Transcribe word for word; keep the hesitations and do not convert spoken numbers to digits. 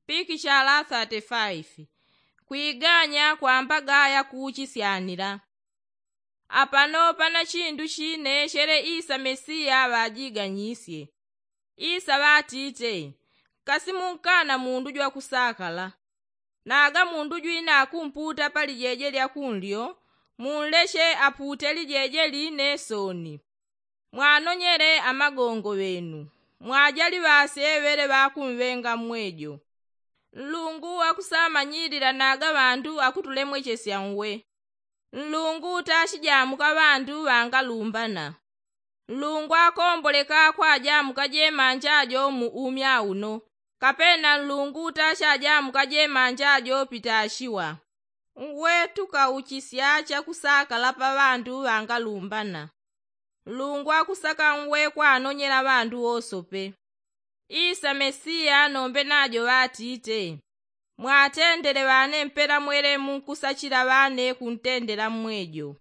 Pikichala thirty five. Kwiganya kwambaga yakuuchisyanila. Apano pana chindu chine chele isa mesiya ŵajiganyisye. Isa ŵatite, kasi munkana mundu jwakusakala? Naga mundu jwina akumputa palijeje lya kunlyo, munleche apute lijeje line sooni. Mwanonyele amagongo ŵenu, mwajali ŵase ŵele ŵakumwenga mmwejo. Nlungu akusamanyilila naga ŵandu akutulemwechesya nwe. Nlungu tachijamuka ŵandu ŵangalumbana. Nlungu akomboleka kwajamuka jemanja jo mu umya uno, kapena nlungu tachajamuka jemanja jo pitachiwa. Nwe tukauchisya chakusakala pa ŵandu ŵangalumbana. Nlungu akusaka nwe kwanonyela ŵandu wosope. Isa mesiya nombe najo ŵatite, mwatendele ŵane mpela mwele munkusachila ŵane kuntendela mmwejo.